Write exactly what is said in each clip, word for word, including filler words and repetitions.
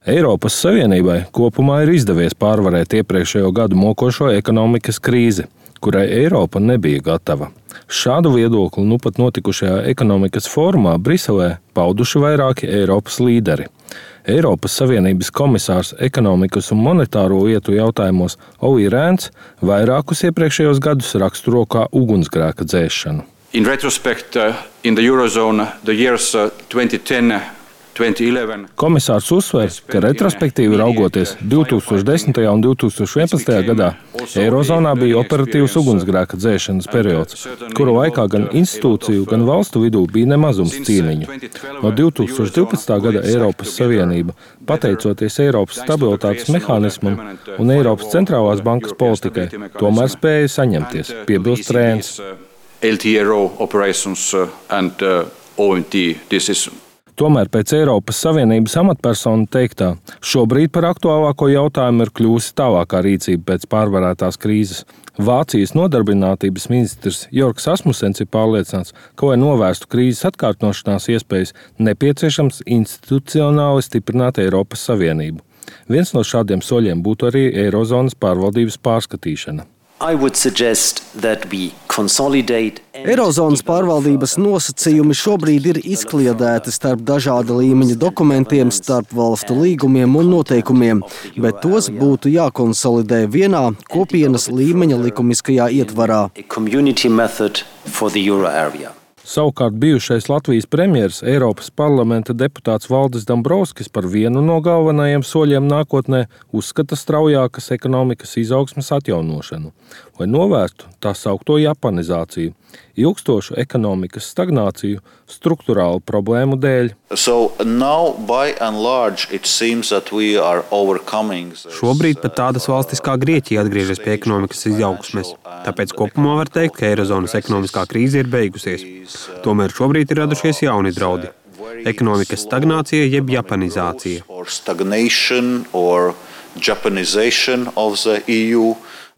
Eiropas Savienībai kopumā ir izdevies pārvarēt iepriekšējo gadu mokošo ekonomikas krīzi, kurai Eiropa nebija gatava. Šādu viedokli nu pat notikušajā ekonomikas fórumā Briselē pauduši vairāki Eiropas līderi. Eiropas Savienības komisārs ekonomikas un monetāro lietu jautājumos Olli Rehns vairākus iepriekšējos gadus raksturo kā ugunsgrēka dzēšanu. In retrospect, uh, in the Eurozone, the years uh, twenty ten Komisārs uzsver, ka retrospektīvi raugoties divi tūkstoši desmitajā un divi tūkstoši vienpadsmitajā gadā Eirozonā bija operatīvs ugunsgrēka dzēšanas periods, kura laikā gan institūciju, gan valstu vidū bija nemazums cīniņu. No divi tūkstoši divpadsmitā gada Eiropas Savienība, pateicoties Eiropas stabilitātes mehānismam un Eiropas centrālās bankas politikai, tomēr spēja saņemties, piebilst Rehns. L T R O operations and O M T decision. Tomēr pēc Eiropas Savienības amatpersonu teiktā, šobrīd par aktuālāko jautājumu ir kļūsi tālākā rīcība pēc pārvarētās krīzes. Vācijas nodarbinātības ministrs Jorgs Asmusens ir pārliecināts, ka, lai novērstu krīzes atkārtošanās iespējas, nepieciešams institucionāli stiprināt Eiropas Savienību. Viens no šādiem soļiem būtu arī Eirozonas pārvaldības pārskatīšana. Eirozonas pārvaldības nosacījumi šobrīd ir izkliedēti starp dažāda līmeņa dokumentiem, starp valstu līgumiem un noteikumiem, bet tos būtu jākonsolidē vienā kopienas līmeņa likumiskajā ietvarā. Savukārt bijušais Latvijas premjers, Eiropas parlamenta deputāts Valdis Dombrovskis par vienu no galvenajiem soļiem nākotnē uzskata straujākas ekonomikas izaugsmes atjaunošanu, lai novērstu tā saukto japanizāciju, ilgstošu ekonomikas stagnāciju strukturālu problēmu dēļ. So now, by and large, it seems that we are overcoming. Šobrīd pat tādas valstis kā Grieķija atgriežas pie ekonomikas izaugsmes. Tāpēc kopumā var teikt, ka Eirozonas ekonomiskā krīze ir beigusies. Tomēr šobrīd ir radušies jauni draudi. Ekonomikas stagnācija jeb japanizācija.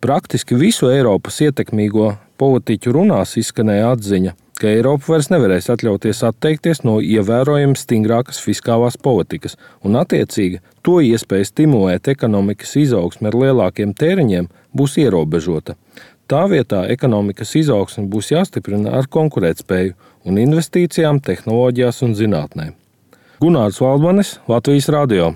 Praktiski visu Eiropas ietekmīgo politiķu runās izskanēja atziņa, ka Eiropa vairs nevarēs atļauties atteikties no ievērojami stingrākas fiskālās politikas, un attiecīgi to iespēja stimulēt ekonomikas izaugsmi ar lielākiem tēriņiem būs ierobežota. Tā vietā ekonomikas izaugsme būs jāstiprina ar konkurētspēju un investīcijām tehnoloģijās un zinātnē. Gunārs Valdmanis, Latvijas radio.